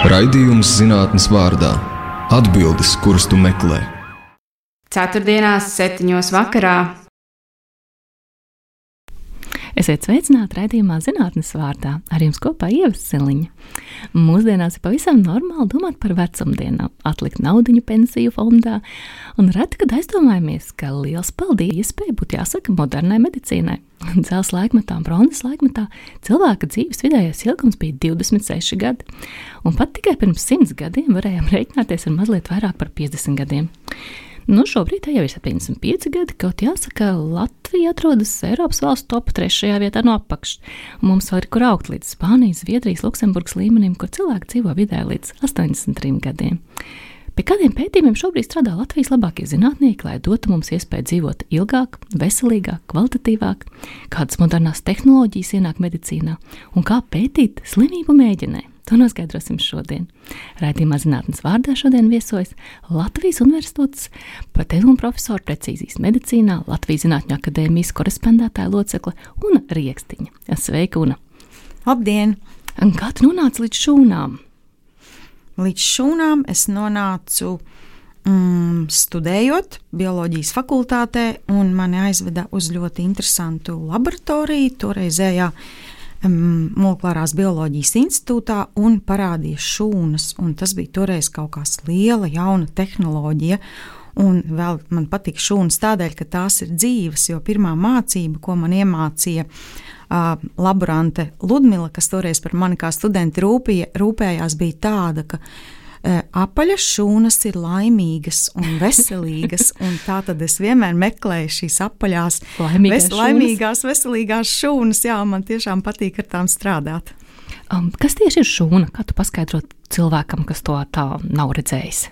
Raidījums zinātnes vārdā – atbildes, kuras tu meklē. Ceturtdienās 7:00 vakarā. Esiet sveicināti raidījumā zinātnes vārdā. Ar jums kopā Ieva Siliņa. Mūsdienās ir pavisam normāli domāt par vecumdienām, atlikt naudiņu pensiju fondā, un reti, kad aizdomājamies, ka liels paldies iespēja būtu jāsaka modernai medicīnai. Dzelzs laikmetā un bronzas laikmetā cilvēka dzīves vidējais ilgums bija 26 gadi, un pat tikai pirms 100 gadiem varējām rēķināties ar mazliet vairāk par 50 gadiem. Šobrīd jau ir 75 gadi, kaut jāsaka, Latvija atrodas Eiropas valstu top 3. vietā no apakšas. Mums vēl ir kur augt līdz Spānijas, Zviedrijas, Luksemburgas līmenim, kur cilvēki dzīvo vidē līdz 83 gadiem. Pie kādiem pētījumiem šobrīd strādā Latvijas labākie zinātnieki, lai dotu mums iespēju dzīvot ilgāk, veselīgāk, kvalitatīvāk, kādas modernās tehnoloģijas ienāk medicīnā un kā pētīt slimību mēģinē. To noskaidrosim šodien. Raidījumā zinātnes vārdā šodien viesojas Latvijas Universitātes patevu un profesora precīzijas medicīnā, Latvijas Zinātņu akadēmijas korespondētāja locekle Una Riekstiņa. Sveika, Una! Labdien! Un kā tu nonāci līdz šūnām? Līdz šūnām es nonācu studējot bioloģijas fakultātē, un mani aizveda uz ļoti interesantu laboratoriju, toreizējā Molekulārās bioloģijas institūtā, un parādīja šūnas, un tas bija toreiz kaut kāds liela, jauna tehnoloģija, un vēl man patīk šūnas tādēļ, ka tās ir dzīves, jo pirmā mācība, ko man iemācīja laborante Ludmila, kas toreiz par mani kā studenti rūpējās, bija tāda, ka apaļas šūnas ir laimīgas un veselīgas, un tā tad es vienmēr meklēju šīs apaļās, laimīgās, veselīgās šūnas, jā, man tiešām patīk ar tām strādāt. Kas tieši ir šūna? Kā tu paskaidrot cilvēkam, kas to tā nav redzējis?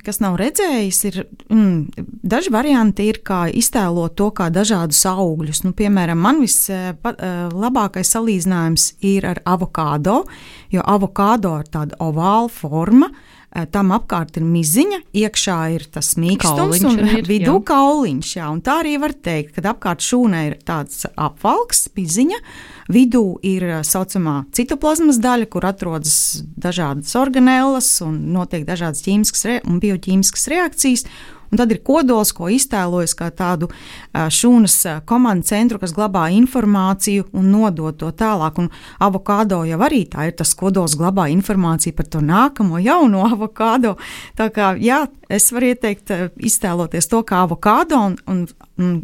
Kas nav redzējis, ir daži varianti ir, kā iztēlot to kā dažādus augļus. Piemēram, man vislabākais salīdzinājums ir ar avokādo, jo avokādo ir tāda ovāla forma, tam apkārt ir miziņa, iekšā ir tas mīkstums un vidū kauliņš. Jā, un tā arī var teikt, kad apkārt šūnai ir tāds apvalks, miziņa, vidū ir saucamā citoplazmas daļa, kur atrodas dažādas organēlas un notiek dažādas ķīmiskas un bioķīmiskas reakcijas. Un tad ir kodols, ko iztēlojas kā tādu šūnas komandu centru, kas glabā informāciju un nodod to tālāk. Un avokādo jau arī tā ir, tas kodols glabā informāciju par to nākamo jauno avokādo. Tā kā, jā, es varu ieteikt iztēloties to kā avokādo, un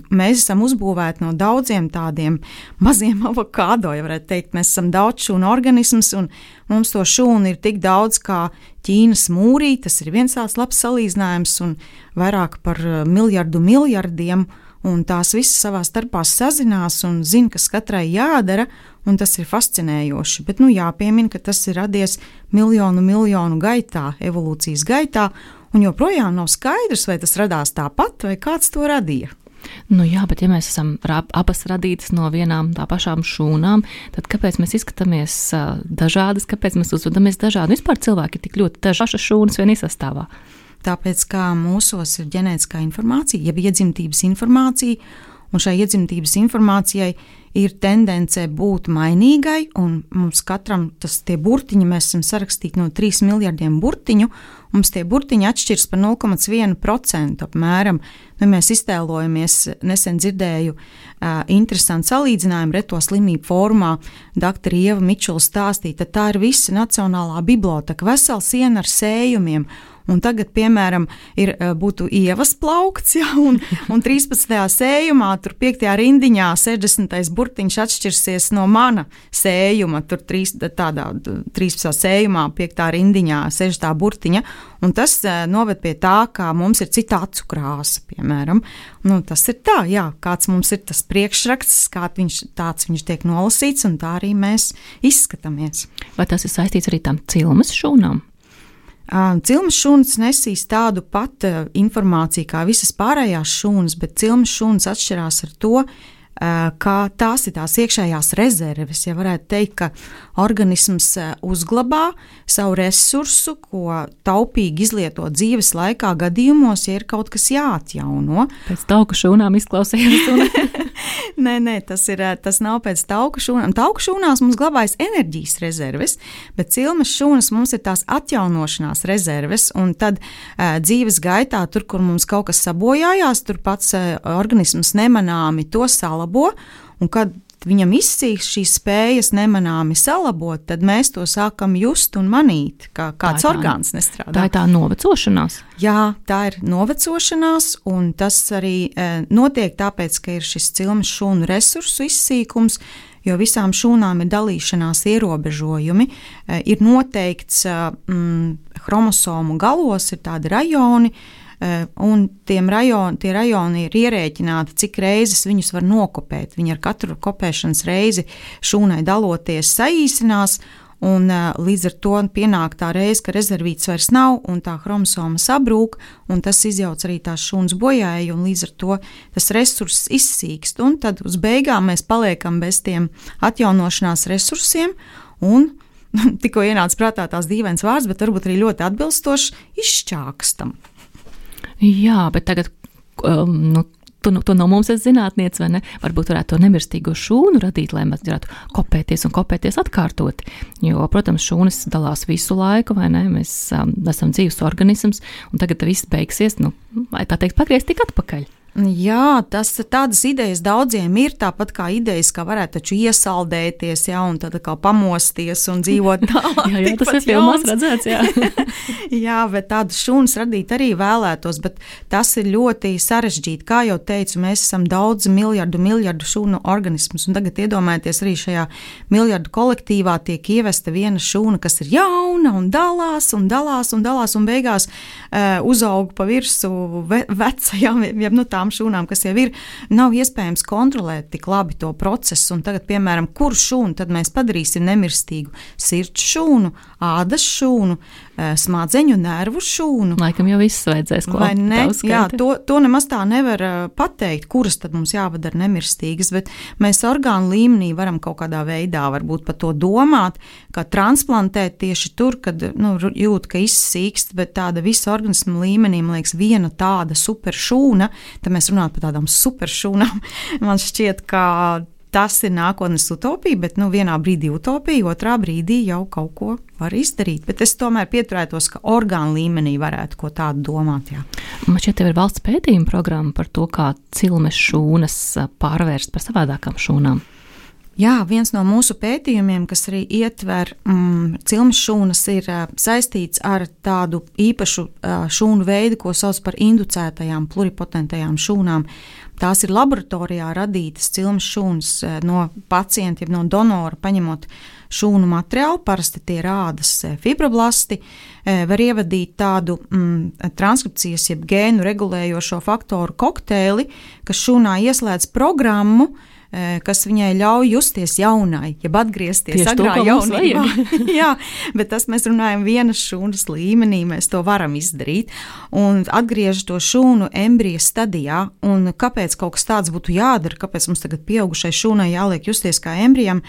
mēs esam uzbūvēti no daudziem tādiem maziem avokādo, ja varētu teikt. Mēs esam daudz šūnu organisms, un mums to šūnu ir tik daudz kā Ķīnas mūrī, tas ir viens tāds labs salīdzinājums, un vairāk par miljardiem, un tās visas savā starpā sazinās un zina, kas katrai jādara, un tas ir fascinējoši. Bet jāpiemina, ka tas ir radies miljonu gaitā, evolūcijas gaitā, un joprojām nav skaidrs, vai tas radās tāpat, vai kāds to radīja. Jā, bet ja mēs esam abas radītas no vienām tā pašām šūnām, tad kāpēc mēs izskatāmies dažādas, kāpēc mēs uzvedamies dažādi? Vispār cilvēki ir tik ļoti dažādas šūnas vienī sastāvā. Tāpēc, kā mūsos ir ģenētiskā informācija, jeb iedzimtības informācija, un šai iedzimtības informācijai ir tendence būt mainīgai, un mums katram tie burtiņi, mēs esam sarakstīti no 3 miljardiem burtiņu, mums tie burtiņi atšķirs par 0,1% apmēram. Mēs iztēlojamies, nesen dzirdēju interesantu salīdzinājumu reto slimību formā, doktora Ieva Mičula stāstīja, tad tā ir visa Nacionālā biblioteka, vesela siena ar sējumiem. Un tagad, piemēram, būtu Ievas plaukts, ja, un 13. sējumā, tur 5. rindiņā 60. burtiņš atšķirsies no mana sējuma, tur 13. sējumā 5. rindiņā 6. burtiņa, un tas noved pie tā, ka mums ir cita acu krāsa, piemēram. Tas ir tā, jā, kāds mums ir tas priekšraksts, tāds viņš tiek nolasīts, un tā arī mēs izskatāmies. Vai tas ir saistīts arī tam cilmes šūnām? Cilmes šūnas nesīs tādu pat informāciju kā visas pārējās šūnas, bet cilmes šūnas atšķirās ar to, ka tās ir tās iekšējās rezerves. Ja varētu teikt, ka organisms uzglabā savu resursu, ko taupīgi izlieto dzīves laikā gadījumos, ja ir kaut kas jāatjauno. Pēc tauku šūnām izklausījās. Nē, tas nav pēc tauku šūnām. Tauku šūnās mums glabājas enerģijas rezerves, bet cilmes šūnas mums ir tās atjaunošanās rezerves, un tad dzīves gaitā, tur, kur mums kaut kas sabojājās, tur pats organisms nemanāmi to salabo, un kad viņam izsīks šīs spējas nemanāmi salabot, tad mēs to sākam just un manīt, kā kāds orgāns nestrādā. Tā ir tā novecošanās? Jā, tā ir novecošanās, un tas arī notiek tāpēc, ka ir šis cilmes šūnu resursu izsīkums, jo visām šūnām ir dalīšanās ierobežojumi. Ir noteikts chromosomu galos, ir tādi rajoni, un tie rajoni ir ierēķināti, cik reizes viņus var nokopēt. Viņi ar katru kopēšanas reizi šūnai daloties saīsinās, un līdz ar to pienāk tā reize, ka rezervīts vairs nav, un tā chromosoma sabrūk, un tas izjauc arī tās šūnas bojāju, un līdz ar to tas resurss izsīkst, un tad uz beigām mēs paliekam bez tiem atjaunošanās resursiem, un tikko ienāca prātā tās dīvains vārds, bet varbūt arī ļoti atbilstoši izšķākstam. Jā, bet tagad, tu no mums esi zinātniece, vai ne? Varbūt varētu to nemirstīgo šūnu radīt, lai mēs varētu kopēties atkārtot. Jo, protams, šūnas dalās visu laiku, vai ne? Mēs esam dzīves organisms, un tagad viss beigsies, vai tā teikt, pagriezt tik atpakaļ. Jā, tādas idejas daudziem ir, tāpat kā idejas, kā varētu taču iesaldēties, jā, un tad kā pamosties un dzīvot tālāk. jā, tas ir filmās redzēts, jā. Jā, bet tādas šūnas radīt arī vēlētos, bet tas ir ļoti sarežģīti. Kā jau teicu, mēs esam daudz miljardu šūnu organismus, un tagad iedomājieties arī šajā miljardu kolektīvā tiek ievesta viena šūna, kas ir jauna un dalās, un beigās uzaug pa virsu vecajām, tām šūnām, kas jau ir, nav iespējams kontrolēt tik labi to procesu, un tagad, piemēram, kuru šūnu tad mēs padarīsim nemirstīgu? Sirds šūnu, ādas šūnu, smadzeņu nervu šūnu. Laikam jau viss vajadzēs klāt. Vai ne? Jā, to nemaz tā nevar pateikt, kuras tad mums jāpadara nemirstīgas, bet mēs orgānu līmenī varam kaut kādā veidā varbūt par to domāt, kā transplantēt tieši tur, kad jūt, ka izsīkst, bet tāda visa organisma līmenī, man liekas, viena tāda super šūna, tad mēs runājam par tādām superšūnām. Man šķiet, ka tas ir nākotnes utopija, bet vienā brīdī utopija, otrā brīdī jau kaut ko var izdarīt. Bet es tomēr pieturētos, ka orgānu līmenī varētu ko tādu domāt. Jā. Man šķiet, tev ir valsts pētījuma programma par to, kā cilmes šūnas pārvērst par savādākām šūnām. Jā, viens no mūsu pētījumiem, kas arī ietver cilmes šūnas, ir saistīts ar tādu īpašu šūnu veidu, ko sauc par inducētajām pluripotentajām šūnām. Tās ir laboratorijā radītas cilmes šūnas no pacienta, no donora, paņemot šūnu materiālu, parasti tie ir ādas fibroblasti, var ievadīt tādu transkripcijas, jeb gēnu regulējošo faktoru kokteili, kas šūnā ieslēdz programmu, kas viņai ļauj justies jaunai, jeb atgriezties agrā jaunībā. Jā, bet tas mēs runājam vienas šūnas līmenī, mēs to varam izdarīt, un atgriež to šūnu embrija stadijā, un kāpēc kaut kas tāds būtu jādara, kāpēc mums tagad pieaugušai šūnai jāliek justies kā embrijam,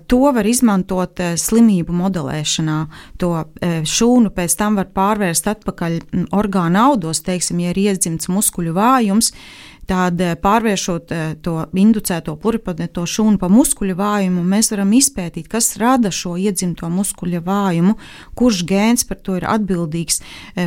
to var izmantot slimību modelēšanā. To šūnu pēc tam var pārvērst atpakaļ orgānu audos, teiksim, ja ir iedzimts muskuļu vājums, tad pārvēršot to inducēto pluripotentāto šūnu pa muskuļu vājumu, mēs varam izpētīt, kas rada šo iedzimto muskuļu vājumu, kurš gēns par to ir atbildīgs,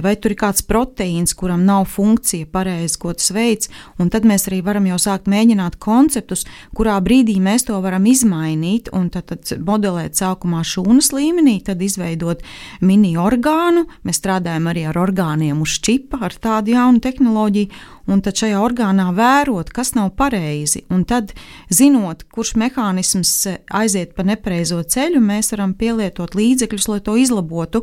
vai tur ir kāds proteīns, kuram nav funkcija pareizi, ko tas veids, un tad mēs arī varam jau sākt mēģināt konceptus, kurā brīdī mēs to varam izmainīt, un tad modelēt sākumā šūnas līmenī, tad izveidot mini orgānu, mēs strādājam arī ar orgāniem uz čipa, ar tādu jaunu tehnoloģiju, un tad šajā orgānā vērot, kas nav pareizi, un tad, zinot, kurš mehānisms aiziet pa nepareizo ceļu, mēs varam pielietot līdzekļus, lai to izlabotu.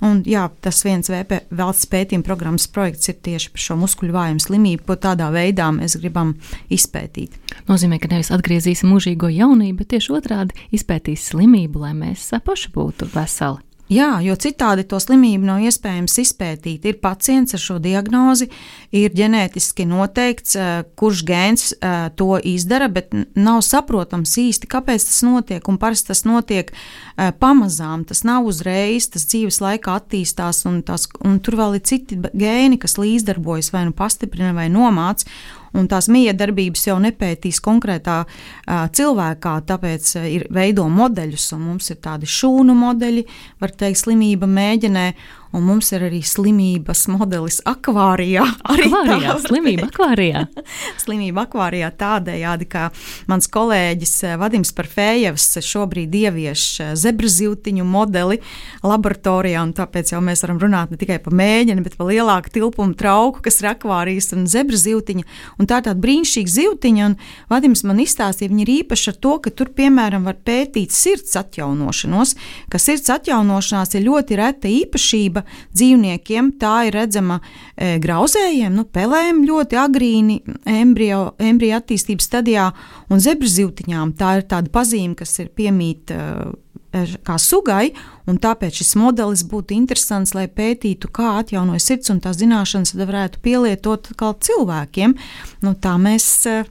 Un jā, tas viens valsts pētījuma programmas projekts ir tieši par šo muskuļu vājumu slimību, ko tādā veidā mēs gribam izpētīt. Nozīmē, ka nevis atgriezīsim mūžīgo jaunību, bet tieši otrādi izpētīs slimību, lai mēs paši būtu veseli. Jā, jo citādi to slimību nav iespējams izpētīt. Ir pacients ar šo diagnozi, ir ģenētiski noteikts, kurš gēns to izdara, bet nav saprotams īsti, kāpēc tas notiek. Un parasti tas notiek pamazām, tas nav uzreiz, tas dzīves laikā attīstās, un tur vēl ir citi gēni, kas līdzdarbojas vai nu pastiprina vai nomāc. Un tās miedarbības jau nepētīs konkrētā cilvēkā, tāpēc ir veido modeļus, un mums ir tādi šūnu modeļi, var teikt, slimība mēģinē, un mums ir arī slimības modelis akvārijā. Slimība akvārijā. Slimība akvārijā tādējādi, kā mans kolēģis Vadims Parfējevs šobrīd ievieš zebrazivtiņu modeli laboratorijā, un tāpēc jau mēs varam runāt ne tikai par mēģini, bet par lielāku tilpumu trauku, kas ir akvārijas un zebrazivtiņa. Un tā ir tāda brīnišķīga zivtiņa, un Vadims man izstāstīja, viņa ir īpaša ar to, ka tur, piemēram, var pētīt sirds atjaunošanos, ka sirds atjaunošanās ir ļoti reta īpašība dzīvniekiem, tā ir redzama grauzējiem, pelēm ļoti agrīni embrija attīstības stadijā, un zebrazivtiņām tā ir tāda pazīme, kas ir piemīt kā sugai, un tāpēc šis modelis būtu interesants, lai pētītu, kā atjaunojas sirds, un tās zināšanas varētu pielietot kā cilvēkiem. Tā mēs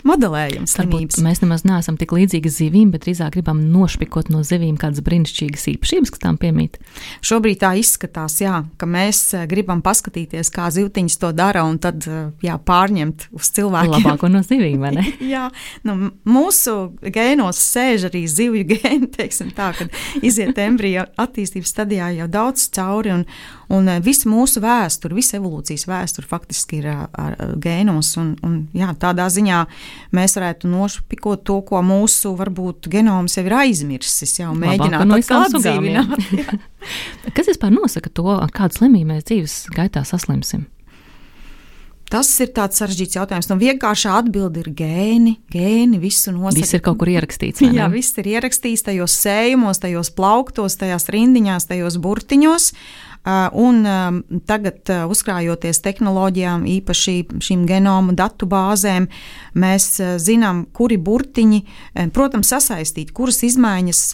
modelējam slimības. Varbūt mēs nemaz neesam tik līdzīgi zivīm, bet drīzāk gribam nošpikot no zivīm kādas brīnišķīgas īpašības, kas tām piemīt. Šobrīd tā izskatās, ka mēs gribam paskatīties, kā zivtiņas to dara, un tad pārņemt uz cilvēkiem. Labāko no zivīm, vai ne? Jā, mūsu gēnos sēž arī zivju gēni, teiksim tā, kad iziet embrija attīstības stadijā jau daudz cauri, un visa mūsu vēsture, visa evolūcijas vēsture faktiski ir ar gēnos, un tādā ziņā mēs varētu nošpikot to, ko mūsu varbūt genoms jau ir aizmirsis, jau mēģināt atdzīvināt. Kas vispār nosaka to, kādu slimību mēs dzīves gaitā saslimsim? Tas ir tāds sarežģīts jautājums. Vienkāršā atbilde ir gēni visu nosaka. Viss ir kaut kur ierakstīts. Jā, viss ir ierakstīts tajos sējumos, tajos plauktos, tajās rindiņās, tajos burtiņos. Un tagad, uzkrājoties tehnoloģijām, īpaši šīm genomu datu bāzēm, mēs zinām, kuri burtiņi, protams, sasaistīt, kuras izmaiņas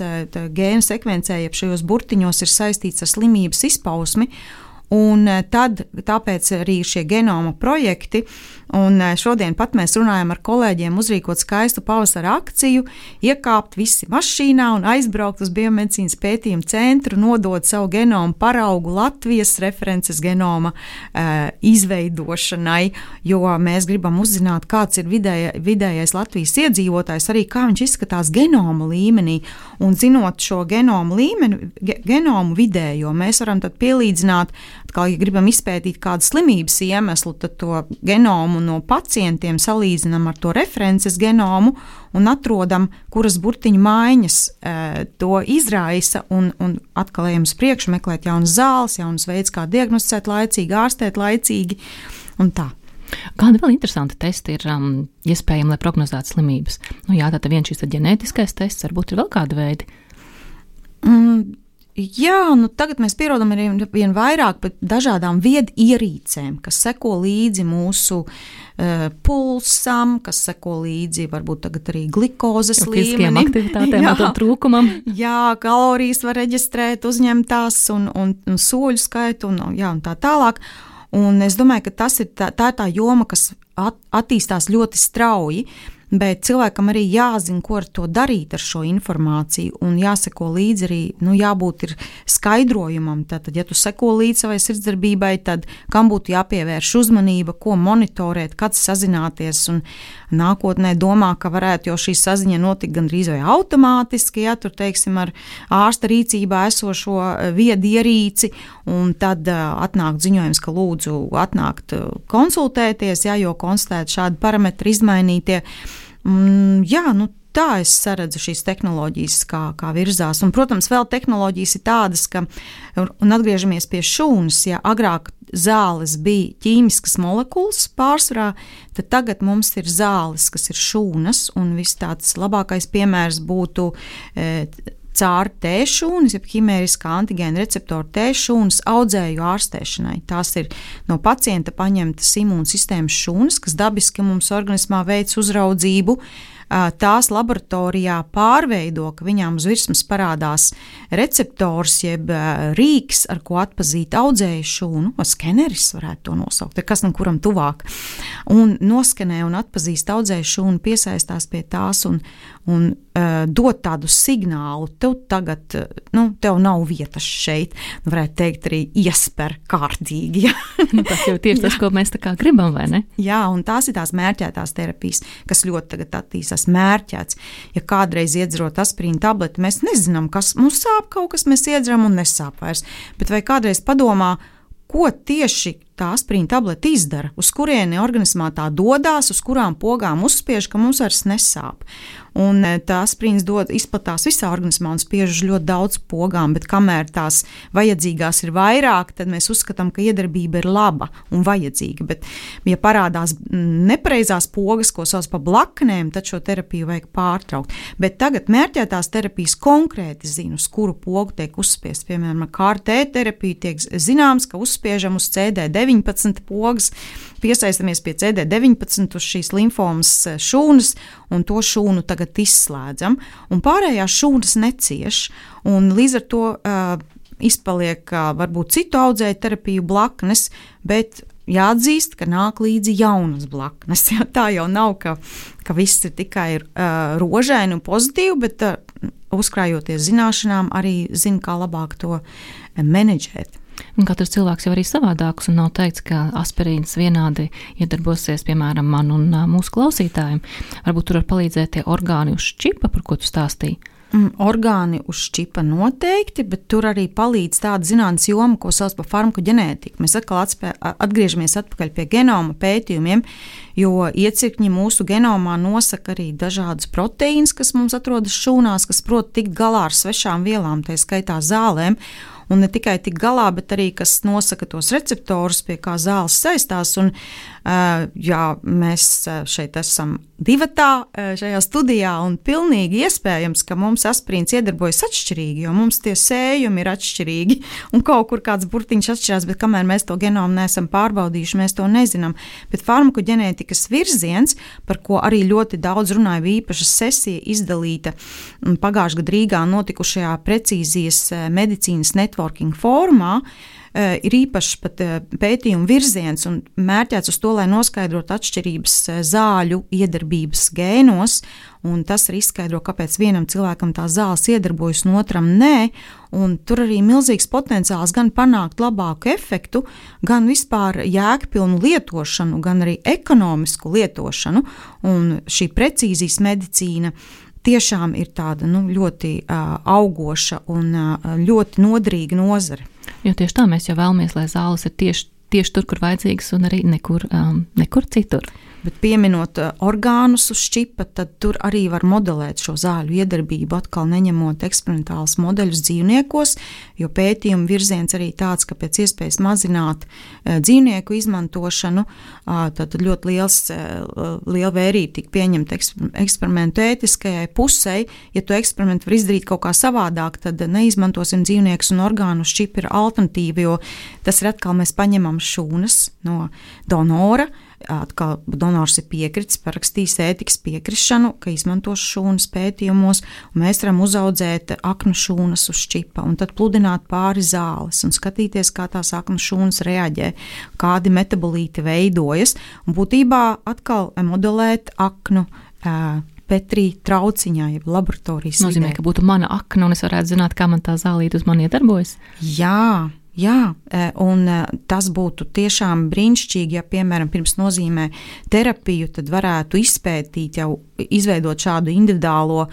gēnu sekvencē, jeb šajos burtiņos ir saistīts ar slimības izpausmi. Un tāpēc arī šie genoma projekti, un šodien pat mēs runājam ar kolēģiem uzrīkot skaistu pavasara akciju, iekāpt visi mašīnā un aizbraukt uz biomedicīnas pētījumu centru, nodot savu genomu paraugu Latvijas references genoma izveidošanai, jo mēs gribam uzzināt, kāds ir vidējais Latvijas iedzīvotājs, arī kā viņš izskatās genoma līmenī, un zinot šo genomu līmeni, genomu vidējo, mēs varam tad pielīdzināt, ja gribam izpētīt kādu slimības iemeslu, tad to genomu no pacientiem salīdzinām ar to references genomu un atrodam, kuras burtiņu maiņas to izraisa, un atkal ejam uz priekšu, meklēt jaunas zāles, jaunas veids, kā diagnosticēt laicīgi, ārstēt laicīgi un tā. Kādi vēl interesanti testi ir iespējami, lai prognozētu slimības? Tātad viens šis ģenētiskais tests, varbūt ir vēl kādi veidi? Jā, tagad mēs pierodam arī vien vairāk par dažādām viedierīcēm, kas seko līdzi mūsu pulsam, kas seko līdzi varbūt tagad arī glikozes līmenim. Aktivitātēm un to trūkumam. Jā, kalorijas var reģistrēt, uzņemtās un soļu skaitu un tā tālāk. Un es domāju, ka tā ir tā joma, kas attīstās ļoti strauji. Bet cilvēkam arī jāzina, ko ar to darīt ar šo informāciju, un jāseko līdzi arī, jābūt ir skaidrojumam. Tātad, ja tu seko līdzi savai sirdsdarbībai, tad kam būtu jāpievērš uzmanība, ko monitorēt, kad sazināties, un nākotnē domā, ka varētu jau šī saziņa notikt gandrīz vai automātiski, tur, teiksim, ar ārsta rīcībā esošo viedierīci, un tad atnāk ziņojums, ka lūdzu atnākt konsultēties, jo konstatēt šādi parametri izmainītie. Tā es saredzu šīs tehnoloģijas, kā virzās. Un, protams, vēl tehnoloģijas ir tādas, un atgriežamies pie šūnas, agrāk zāles bija ķīmiskas molekulas pārsvarā, tad tagad mums ir zāles, kas ir šūnas, un viss tāds labākais piemērs būtu caur T-šūnas, jeb ķimēriskā antigēna receptora T-šūnas audzēju ārstēšanai. Tās ir no pacienta paņemtas imūnsistēmas šūnas, kas dabiski mums organismā veic uzraudzību tās laboratorijā pārveido, ka viņām uz virsmas parādās receptors, jeb rīks, ar ko atpazīt audzēju šūnu, skeneris varētu to nosaukt, kas no kuram tuvāk, un noskenē un atpazīst audzēju šūnu, piesaistās pie tās un dot tādu signālu, tev tagad, tev nav vietas šeit, varētu teikt arī iesper kārtīgi. Ja? Tas jau tieši tas, ko mēs tā kā gribam, vai ne? Jā, un tās ir tās mērķētās terapijas, kas ļoti tagad attīstās mērķēts. Ja kādreiz iedzerot aspirīnu tableti, mēs nezinām, kas mums sāp kaut kas, mēs iedzeram un nesāp vairs, bet vai kādreiz padomā, ko tieši tā aspirīna tablete izdara, uz kurieni organismā tā dodās, uz kurām pogām uzspiež, ka mums vairs nesāp. Un tā aspirīns izplatās visā organismā un spiež uz ļoti daudz pogām, bet kamēr tās vajadzīgās ir vairāk, tad mēs uzskatām, ka iedarbība ir laba un vajadzīga. Bet, ja parādās nepareizās pogas, ko sauc par blaknēm, tad šo terapiju vajag pārtraukt. Bet tagad mērķētās terapijas konkrēti zina, uz kuru pogu tiek uzspiest. Piemēram, ar KRT terapiju tiek zināms, ka uzspiežam uz CD19 pogas, piesaistamies pie CD19 uz šīs limfomas šūnas un to šūnu tagad izslēdzam, un pārējās šūnas necieš, un līdz ar to izpaliek varbūt citu audzēju terapiju blaknes, bet jāatzīst, ka nāk līdzi jaunas blaknes. Tā jau nav, ka viss ir tikai rožaini un pozitīvi, bet uzkrājoties zināšanām arī zina, kā labāk to menedžēt. Un katrs cilvēks jau arī savādāks, un nav teikts, ka aspirīns vienādi iedarbosies, piemēram, man un mūsu klausītājiem. Varbūt tur var palīdzēt tie orgāni uz čipa, par ko tu stāstīji. Orgāni uz čipa noteikti, bet tur arī palīdz tāda zinātnes joma, ko sauc par farmakoģenētiku. Mēs atkal atgriežamies atpakaļ pie genoma pētījumiem, jo iecirkņi mūsu genomā nosaka arī dažādas proteīnas, kas mums atrodas šūnās, kas prot tikt galā ar svešām vielām, tā skaitā zālēm. Un ne tikai tik galā, bet arī, kas nosaka tos receptorus, pie kā zāles saistās. Un, jā, mēs šeit esam divatā šajā studijā, un pilnīgi iespējams, ka mums aspirīns iedarbojas atšķirīgi, jo mums tie sējumi ir atšķirīgi, un kaut kur kāds burtiņš atšķirās, bet kamēr mēs to genomu neesam pārbaudījuši, mēs to nezinām. Bet farmakoģenētikas virziens, par ko arī ļoti daudz runāja, bija īpaša sesija izdalīta pagājušajā gada Rīgā notikušajā precīzijas medicīnas networking fórumā, ir īpašs pat pētījuma virziens un mērķēts uz to, lai noskaidrotu atšķirības zāļu iedarbības gēnos, un tas arī izskaidro, kāpēc vienam cilvēkam tā zāles iedarbojas un otram nē, un tur arī milzīgs potenciāls gan panākt labāku efektu, gan vispār jēgpilnu lietošanu, gan arī ekonomisku lietošanu, un šī precīzijas medicīna tiešām ir tāda ļoti augoša un ļoti noderīga nozare. Jo tieši tā mēs jau vēlamies, lai zāles ir tieši tur, kur vajadzīgas, un arī nekur citur. Bet pieminot orgānus uz čipa, tad tur arī var modelēt šo zāļu iedarbību, atkal neņemot eksperimentālus modeļus dzīvniekos, jo pētījuma virziens arī tāds, ka pēc iespējas mazināt dzīvnieku izmantošanu, tad ļoti liela vērība tika pieņemta eksperimentu ētiskajai pusei. Ja to eksperimentu var izdarīt kaut kā savādāk, tad neizmantosim dzīvniekus, un orgānu uz čipa ir alternatīva, jo tas ir atkal mēs paņemam šūnas no donora. Atkal donors ir piekritis, parakstījis ētikas piekrišanu, ka izmantos šūnas pētījumos, un mēs varam uzaudzēt aknu šūnas uz čipa un tad pludināt pāri zāles un skatīties, kā tās aknu šūnas reaģē, kādi metabolīti veidojas, un būtībā atkal modelēt aknu Petrī trauciņā, jeb laboratorijas vidē. Nozīmē, ka būtu mana akna, un es varētu zināt, kā man tā zālīte uz mani iedarbojas? Jā, un tas būtu tiešām brīnišķīgi, ja, piemēram, pirms nozīmē terapiju, tad varētu izpētīt, jau izveidot šādu individuālo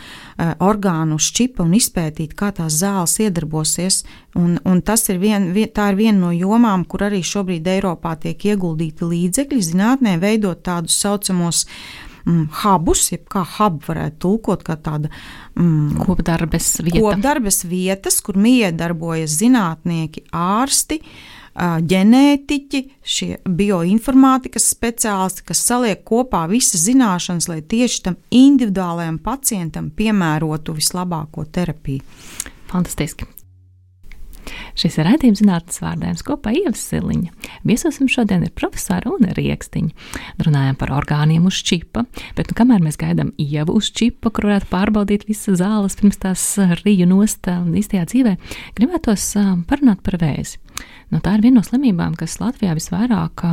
orgānu uz čipa un izpētīt, kā tās zāles iedarbosies. Un tas ir tā ir viena no jomām, kur arī šobrīd Eiropā tiek ieguldīti līdzekļi zinātnē, veidot tādus saucamos hubus, jeb kā hub varētu tulkot, kā tāda kopdarbes vietas, kur miedarbojas zinātnieki, ārsti, ģenētiķi, šie bioinformātikas speciālisti, kas saliek kopā visas zināšanas, lai tieši tam individuālajam pacientam piemērotu vislabāko terapiju. Fantastiski. Šis ir raidījums zinātnes vārdājums kopā Ieva Siliņa. Viesosim šodien ir profesora Une Riekstiņa. Runājam par orgāniem uz čipa, bet kamēr mēs gaidām Ievu uz čipa, kur varētu pārbaudīt visas zāles pirms tās riju nost īstajā dzīvē, gribētos parunāt par vēzi. Tā ir viena no slimībām, kas Latvijā visvairāk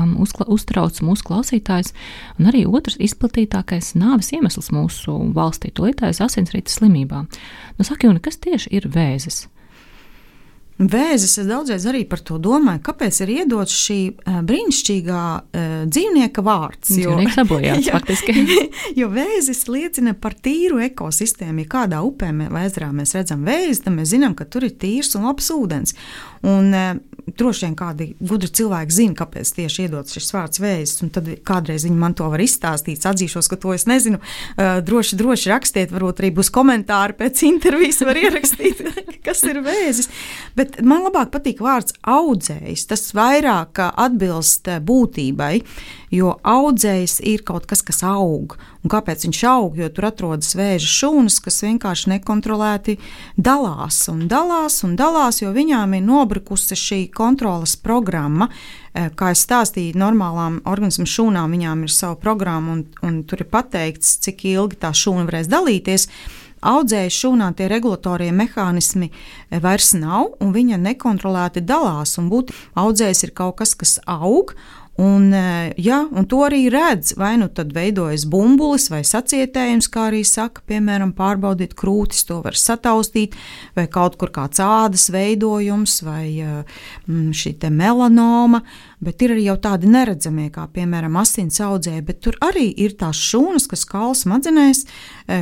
uztrauc mūsu klausītājus, un arī otrs izplatītākais nāves iemesls mūsu valstī, tūlītējas asinsrites slimībām. Saka, Une, kas tieši ir vēzis? Vēzis, es daudzreiz arī par to domāju, kāpēc ir iedots šī brīnišķīgā dzīvnieka vārds. Dzīvnieks sabojāts, faktiski. Jo vēzis liecina par tīru ekosistēmu. Ja kādā upē vai ezerā mēs redzam vēzi, tad mēs zinām, ka tur ir tīrs un labs ūdens. Un droši vien kādi gudri cilvēki zina, kāpēc tieši iedots šis vārds vēzis, un tad kādreiz viņi man to var izstāstīt, atzīšos, ka to es nezinu. Droši rakstiet, varbūt arī būs komentāri pēc intervijas, var ierakstīt, kas ir vēzis. Bet man labāk patīk vārds audzējs. Tas vairāk atbilst būtībai, jo audzējs ir kaut kas, kas aug. Un kāpēc viņš aug? Jo tur atrodas vēža šūnas, kas vienkārši nekontrolēti dalās, jo viņām ir nobrukusi šī kontroles programma. Kā es stāstīju, normālām organismu šūnām viņām ir sava programma, un tur ir pateikts, cik ilgi tā šūna varēs dalīties. Audzēju šūnā tie regulatorie mehānismi vairs nav, un viņa nekontrolēti dalās, un audzējs ir kaut kas, kas aug, un to arī redz, vai nu tad veidojas bumbulis vai sacietējums, kā arī saka, piemēram, pārbaudīt krūtis, to var sataustīt, vai kaut kur kāds ādas veidojums, vai šī te melanoma, bet ir arī jau tādi neredzamie, kā piemēram asins audzēji, bet tur arī ir tās šūnas, kas kaula smadzenēs,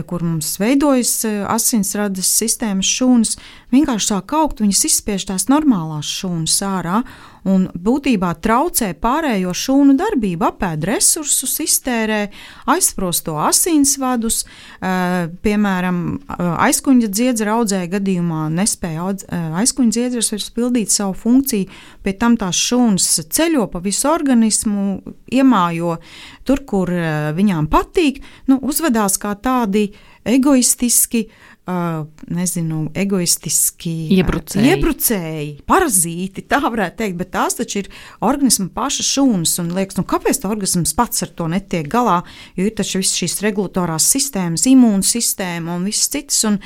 kur mums veidojas asinsrades sistēmas šūnas, vienkārši sāk augt, viņas izspiež tās normālās šūnas ārā, un būtībā traucē pārējo šūnu darbību, apēd resursus, iztērē, aizprosto asinsvadus, piemēram, aizkuņa dziedzera audzēja gadījumā nespēja aizkuņa dziedzers vairs pildīt savu funkciju, pie tam tās šūnas ceļo pa visu organismu, iemājo tur, kur viņām patīk, uzvedās kā tādi egoistiski, iebrucēji, parazīti, tā varētu teikt, bet tās taču ir organisma paša šūnas, un liekas, kāpēc tā organisms pats ar to netiek galā, jo ir taču visas šīs regulatorās sistēmas, imūnsistēma un viss cits, un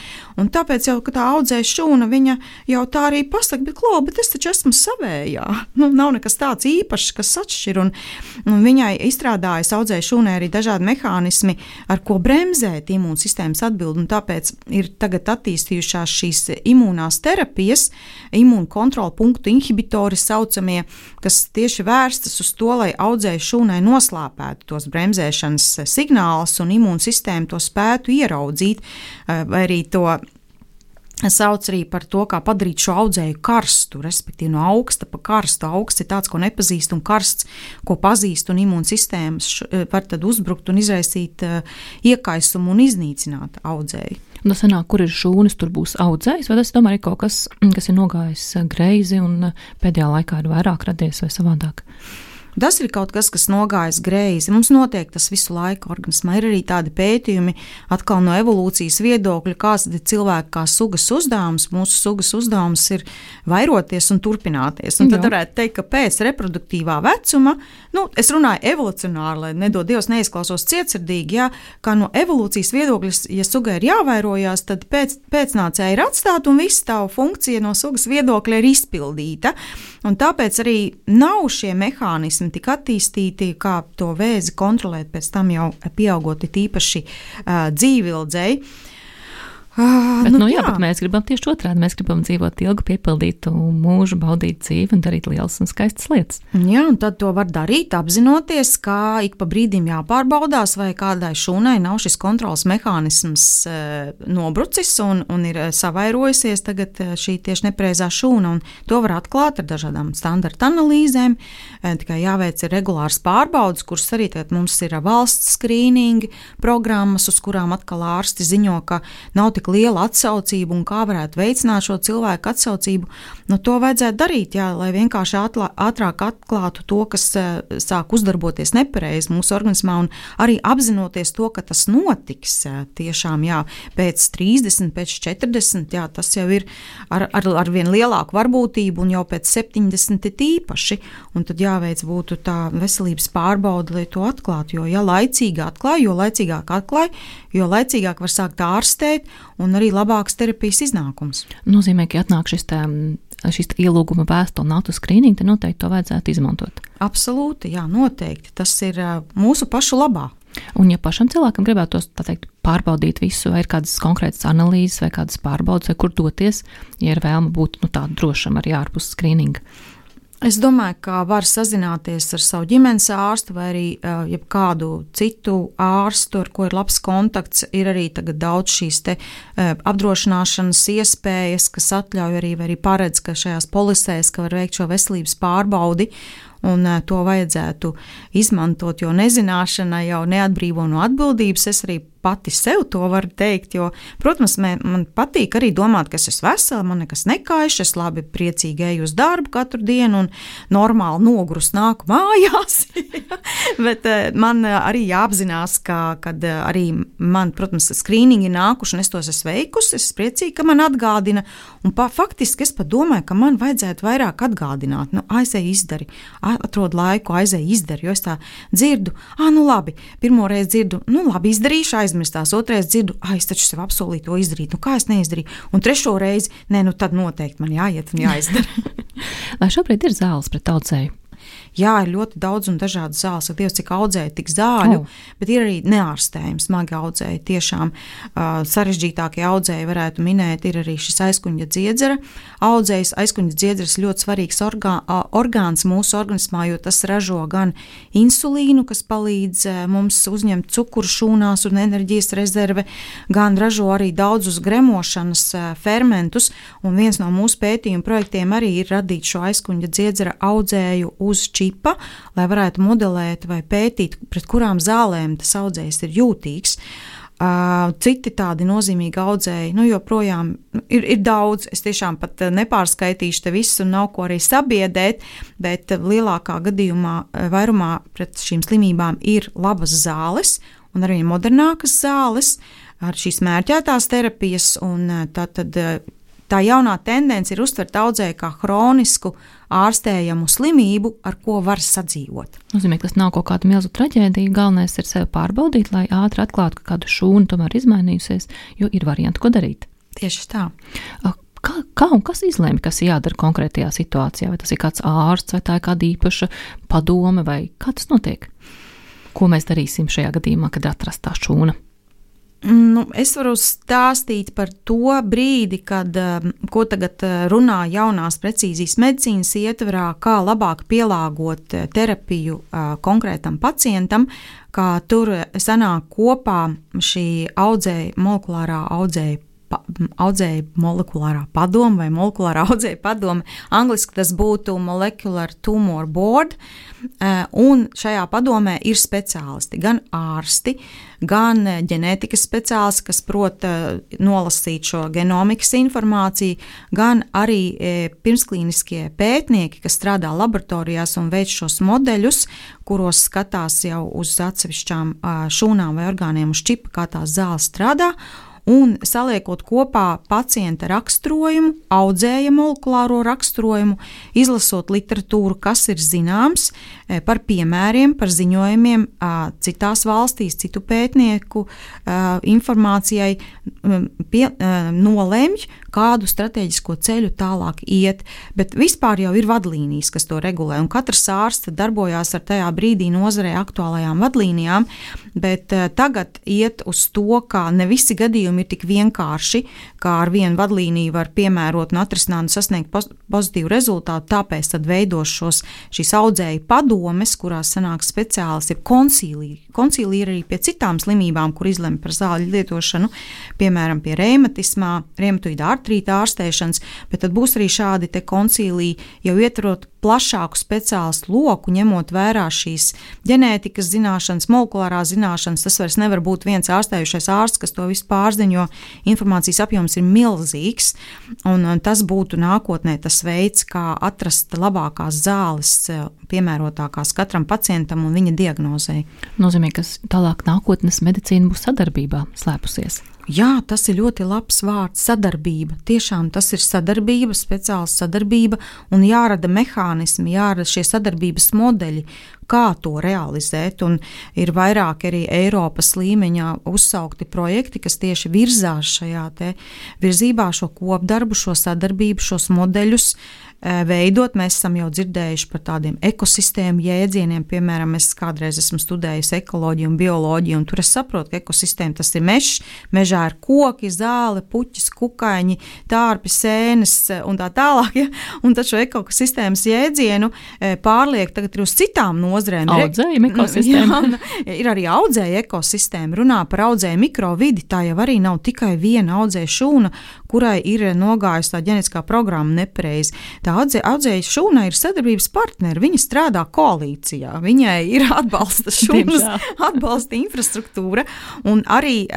tāpēc jau, ka tā audzēja šūna, viņa jau tā arī pasaka, bet es taču esmu savējā, nav nekas tāds īpašs, kas atšķir, un viņai izstrādājas audzēja šūnai arī dažādi mehānismi, ar ko bremzēt imūnsistēmas atbildi, un tāpēc ir tagad attīstījušās šīs imūnās terapijas, imūnu kontrola punktu inhibitori saucamie, kas tieši vērstas uz to, lai audzēju šūnai noslāpētu tos bremzēšanas signālus un imūnsistēmu to spētu ieraudzīt, vai arī to sauc arī par to, kā padarīt šo audzēju karstu, respektīvi no augsta pa karstu. Augsts ir tāds, ko nepazīst, un karsts, ko pazīst, un imūnsistēmas var tad uzbrukt un izraisīt iekaisumu un iznīcināt audzēju. Tas sanāk, kur ir šūnas, tur būs audzējs, vai tas tomēr ir kaut kas, kas ir nogājis greizi un pēdējā laikā ir vairāk radies vai savādāk? Tas ir kaut kas, kas nogājis greizi. Mums notiek tas visu laiku organismā. Ir arī tādi pētījumi, atkal no evolūcijas viedokļa, kāds ir cilvēka kā sugas uzdevums. Mūsu sugas uzdevums ir vairoties un turpināties. Un tad varētu teikt, ka pēc reproduktīvā vecuma, es runāju evolucionāri, lai nedod Dievs neizklausos cietsirdīgi, kā no evolūcijas viedokļa, ja sugai ir jāvairojās, tad pēcnācēji ir atstāta un viss tā funkcija no sugas viedokļa ir izpildīta. Un tāpēc arī nav šie mehānismi tik attīstīti, kā to vēzi kontrolēt pēc tam jau pieaugot tīpaši dzīvildzei. Bet mēs gribam tieši otrādi. Mēs gribam dzīvot ilgu, piepildītu mūžu, baudīt dzīvi un darīt lielas un skaistas lietas. Jā, un tad to var darīt, apzinoties, ka ik pa brīdim jāpārbaudās, vai kādai šūnai nav šis kontrols mehānisms nobrucis un ir savairojusies tagad šī tieši nepreizā šūna, un to var atklāt ar dažādām standarta analīzēm. Tikai jāveic ir regulārs pārbaudas, kuras arī tagad mums ir valsts skrīningi programmas, uz kurām atkal ārsti ziņo, ka nav tik tik liela atsaucība un kā varētu veicināt šo cilvēku atsaucību, to vajadzētu darīt, lai vienkārši ātrāk atklātu to, kas sāk uzdarboties nepareizi mūsu organismā, un arī apzinoties to, ka tas notiks tiešām, pēc 30, pēc 40, tas jau ir ar vien lielāku varbūtību, un jau pēc 70 ir īpaši, un tad jāveic būtu tā veselības pārbaude, lai to atklātu, jo laicīgi atklāj, jo laicīgāk atklāj, jo laicīgāk var sākt ārstēt un arī labāks terapijas iznākums. Nozīmē, ka atnāk šis ielūguma vēstule un autoskrīningu, tad noteikti to vajadzētu izmantot. Absolūti, noteikti. Tas ir mūsu pašu labā. Un ja pašam cilvēkam gribētos, tā teikt, pārbaudīt visu, vai ir kādas konkrētas analīzes vai kādas pārbaudes, vai kur doties, ja ir vēlme būt tā drošam arī ārpus skrīninga? Es domāju, ka var sazināties ar savu ģimenes ārstu vai arī jebkādu citu ārstu, ar ko ir labs kontakts. Ir arī tagad daudz šīs apdrošināšanas iespējas, kas atļauj arī paredz, ka šajās polisēs, ka var veikt šo veselības pārbaudi, un to vajadzētu izmantot, jo nezināšana jau neatbrīvo no atbildības. Es arī pati sev to varu teikt, jo, protams, man patīk arī domāt, ka es esmu vesela, man nekas nekaiš, es labi priecīgi eju uz darbu katru dienu un normāli nogurus nāku mājās. Bet man arī jāapzinās, kad arī man, protams, skrīningi nākuši un es tos esmu veikusi, es priecīgi, ka man atgādina, un faktiski es pat domāju, ka man vajadzētu vairāk atgādināt, aizēj izdari, atrod laiku, aizēj izdari, jo es tā dzirdu, labi, pirmo reizi dzirdu, labi, izdarīšu, aizmirstās, otrais dzirdu, es taču sev apsolīju to izdarīt, kā es neizdarīju, un trešo reizi, tad noteikti man jāiet un jāizdara. Vai šobrīd ir zāles pret audzēju? Jā, ir ļoti daudz un dažādas zāles, Dievs, cik audzēja tik zāļu, bet ir arī neārstējumi, smagi audzēji, tiešām sarežģītākie audzēji varētu minēt, ir arī šis aizkuņa dziedzera audzējs. Aizkuņa dziedzers ļoti svarīgs orgāns mūsu organismā, jo tas ražo gan insulīnu, kas palīdz mums uzņemt cukuru šūnās un enerģijas rezerve, gan ražo arī daudzus gremošanas fermentus, un viens no mūsu pētījuma projektiem arī ir radīt šo aizkuņa dziedzera audzēju uz čipa, lai varētu modelēt vai pētīt, pret kurām zālēm tas audzējs ir jūtīgs. Citi tādi nozīmīgi audzēji, joprojām ir daudz, es tiešām pat nepārskaitīšu te visu un nav ko arī sabiedēt, bet lielākā gadījumā vairumā pret šīm slimībām ir labas zāles un arī modernākas zāles ar šīs mērķētās terapijas, un tā jaunā tendence ir uztvert audzēju kā hronisku ārstējamu slimību, ar ko var sadzīvot. Nozīmē, ka tas nav kaut kāda milzu traģēdija, galvenais ir sevi pārbaudīt, lai ātri atklātu, ka kādu šūnu tomēr izmainījusies, jo ir varianti, ko darīt. Tieši tā. Kā un kas izlēma, kas jādara konkrētajā situācijā? Vai tas ir kāds ārsts, vai tā ir kāda īpaša padome, vai kā tas notiek? Ko mēs darīsim šajā gadījumā, kad atrast tā šūna? Es varu stāstīt par to brīdi, ko tagad runā jaunās precīzijas medicīnas ietverā, kā labāk pielāgot terapiju konkrētam pacientam, kā tur sanāk kopā šī molekulārā molekulārā padome vai molekulārā audzēja padome. Angliski tas būtu Molecular Tumor Board, un šajā padomē ir speciālisti, gan ārsti, gan ģenētikas speciālisti, kas prot nolasīt šo genomikas informāciju, gan arī pirmsklīniskie pētnieki, kas strādā laboratorijās un veic šos modeļus, kuros skatās jau uz atsevišķām šūnām vai orgāniem uz čipa, kā tās zāles strādā, un saliekot kopā pacienta raksturojumu, audzēja molekulāro raksturojumu, izlasot literatūru, kas ir zināms par piemēriem, par ziņojumiem citās valstīs, citu pētnieku informācijai, nolemj, kādu strateģisko ceļu tālāk iet, bet vispār jau ir vadlīnijas, kas to regulē, un katrs ārsts darbojās ar tajā brīdī nozarē aktuālajām vadlīnijām, bet tagad iet uz to, ka ne visi gadījumi ir tik vienkārši, kā ar vienu vadlīniju var piemērot un atrisināt un sasniegt pozitīvu rezultātu, tāpēc tad veidos šīs audzēju padomes, kurās sanāk speciālisti, koncīlija. Koncīlija ir arī pie citām slimībām, kur izlemj par zāļu lietošanu, piemēram, pie reumatoīda artrīta ārstēšanas, bet tad būs arī šādi te koncīliji, jau ietverot plašāku speciālistu loku, ņemot vērā šīs ģenētikas zināšanas, molekulārās zināšanas. Tas vairs nevar būt viens ārstējušais ārsts, kas to visu pārzina, jo informācijas apjoms ir milzīgs, un tas būtu nākotnē tas veids, kā atrast labākās zāles, piemērotākās katram pacientam un viņa diagnozei. Nozīmē, ka tālāk nākotnes medicīna būs sadarbībā slēpusies. Jā, tas ir ļoti labs vārds – sadarbība. Tiešām tas ir sadarbība, speciāla sadarbība un jārada mehānismi, jārada šie sadarbības modeļi, kā to realizēt. Un ir vairāk arī Eiropas līmeņā uzsaukti projekti, kas tieši virzās šajā te virzībā šo kopdarbu, šo sadarbību, šos modeļus veidot. Mēs esam jau dzirdējuši par tādiem ekosistēmu jēdzieniem, piemēram, es kādreiz esmu studējusi ekoloģiju un bioloģiju, un tur es saprotu, ka ekosistēma tas ir mežs, mežā ir koki, zāle, puķis, kukaiņi, tārpi, sēnes un tā tālāk, ja? Un tad šo ekosistēmas jēdzienu pārliek tagad ir uz citām nozrēm. Audzēja ekosistēma. Jā, ir arī audzēja ekosistēma, runā par audzēja mikrovidi, tā jau arī nav tikai viena audzēja šūna, kurai ir nogājusi tā ģenetiskā programma nepareizi. Tā audzēja šūna ir sadarbības partneri, viņa strādā koalīcijā, viņai ir atbalsta šūnas, atbalsta infrastruktūra, un arī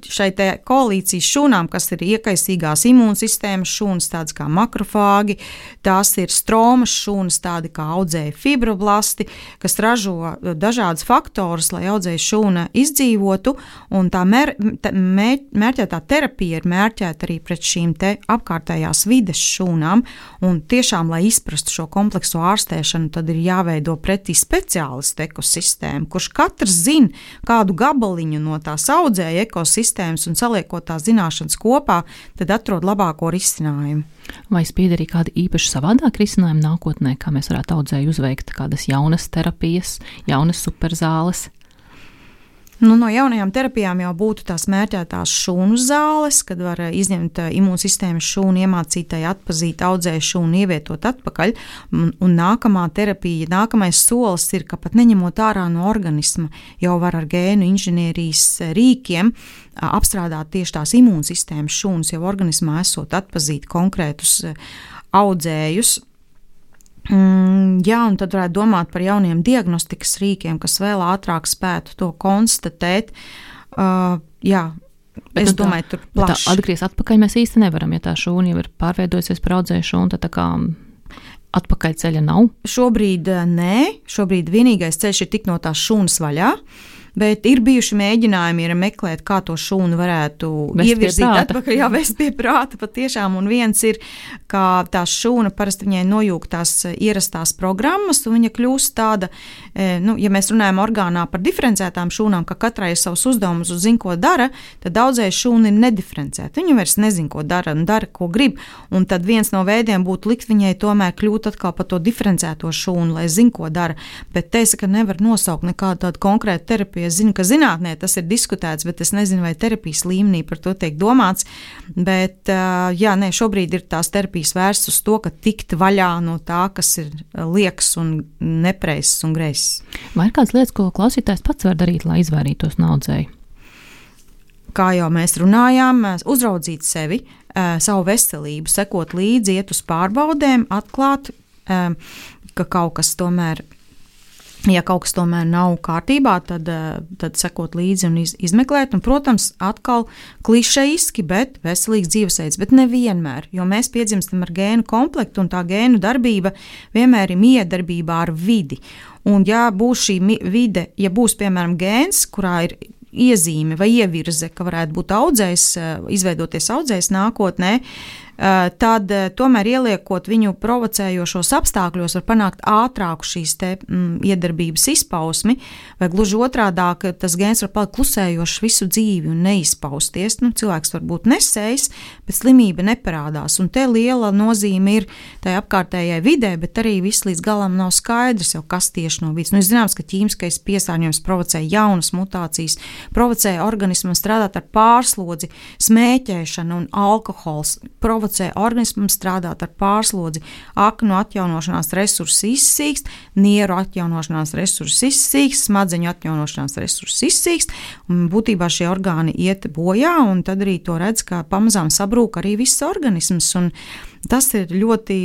šai te koalīcijas šūnām, kas ir iekaisīgās imūnsistēmas šūnas, tādas kā makrofāgi, tās ir stromas šūnas, tādi kā audzēja fibroblasti, kas ražo dažādas faktorus, lai audzēja šūna izdzīvotu, un tā mērķētā terapija ir mērķēta arī pret šīm te apkārtējās vides šūnām, un tiešām, lai izprastu šo komplekso ārstēšanu, tad ir jāveido pretī speciālistu ekosistēmu, kurš katrs zina kādu gabaliņu no tās audzēja ekosistēmas un saliekot tās zināšanas kopā, tad atrod labāko risinājumu. Vai spīd arī kādi īpaši savādāk risinājumi nākotnē, kā mēs varētu audzēju uzveikt kādas jaunas terapijas, jaunas superzāles? No jaunajām terapijām jau būtu tās mērķētās šūnu zāles, kad var izņemt imūnsistēmas šūnu, iemācītai atpazīt audzēju šūnu, ievietot atpakaļ, un nākamā terapija, nākamais solis ir, ka pat neņemot ārā no organisma, jau var ar gēnu inženierijas rīkiem apstrādāt tieši tās imūnsistēmas šūnas, jau organismā esot atpazīt konkrētus audzējus. Jā, un tad varētu domāt par jauniem diagnostikas rīkiem, kas vēl ātrāk spētu to konstatēt. Jā, es domāju, tur plaši. Atgriezt atpakaļ mēs īsti nevaram, ja tā šūna jau ir pārveidojusies par audzēju šūnu, tad tā kā atpakaļ ceļa nav? Šobrīd nē, šobrīd vienīgais ceļš ir tikt no tās šūnas vaļā. Bet ir bijuši mēģinājumi meklēt, kā to šūnu varētu ievirzīt atpakaļ, jāvest pie prāta patiešām, un viens ir, kā tā šūna parasti viņai nojūg tās ierastās programmas, un viņa kļūst tāda, ja mēs runājam orgānā par diferencētām šūnām, ka katrai ir savs uzdevums un zina, ko dara, tad daudzēji šūna ir nediferencēta. Viņa vairs nezina, ko dara un dara, ko grib, un tad viens no veidiem būtu likt viņai tomēr kļūt atkal par to diferencēto šūnu, lai zina, ko dara, bet te es, ka nevar nosaukt nekādu tādu konkrētu terapiju. Es zinu, ka zinātnē tas ir diskutēts, bet es nezinu, vai terapijas līmenī par to tiek domāts. Bet, šobrīd ir tās terapijas vērstas uz to, ka tikt vaļā no tā, kas ir liekas un nepreizs un greizs. Vai ir kādas lietas, ko klausītājs pats var darīt, lai izvairītos no audzēju? Kā jau mēs runājām, uzraudzīt sevi, savu veselību, sekot līdzi, iet uz pārbaudēm, atklāt, ka kaut kas tomēr. Ja kaut kas tomēr nav kārtībā, tad sekot līdzi un izmeklēt. Un, protams, atkal klišejiski, bet veselīgs dzīvesveids. Bet nevienmēr, jo mēs piedzimstam ar gēnu komplektu, un tā gēnu darbība vienmēr ir miedarbībā ar vidi. Un ja būs šī vide, ja būs, piemēram, gēns, kurā ir iezīme vai ievirze, ka varētu būt audzējs, izveidoties audzējs nākotnē, tad tomēr ieliekot viņu provocējošos apstākļos var panākt ātrāku šīs te iedarbības izpausmi, vai gluži otrādāk tas gēns var palikt klusējošs visu dzīvi un neizpausties. Cilvēks var būt nesējs, bet slimība neparādās, un te liela nozīme ir tai apkārtējai vidē, bet arī viss līdz galam nav skaidrs jau, kas tieši no vidas. Ir zināms, ka ķīmiskais piesārņojums provocē jaunas mutācijas, provocē organismam strādāt ar pārslodzi, smēķēšanu un alkohols, provocē traucē organismam strādāt ar pārslodzi. Aknu atjaunošanās resursi izsīkst, nieru atjaunošanās resursi izsīkst, smadzeņu atjaunošanās resursi izsīkst, un būtībā šie orgāni iet bojā, un tad arī to redz, ka pamazām sabrūk arī viss organisms, un tas ir ļoti,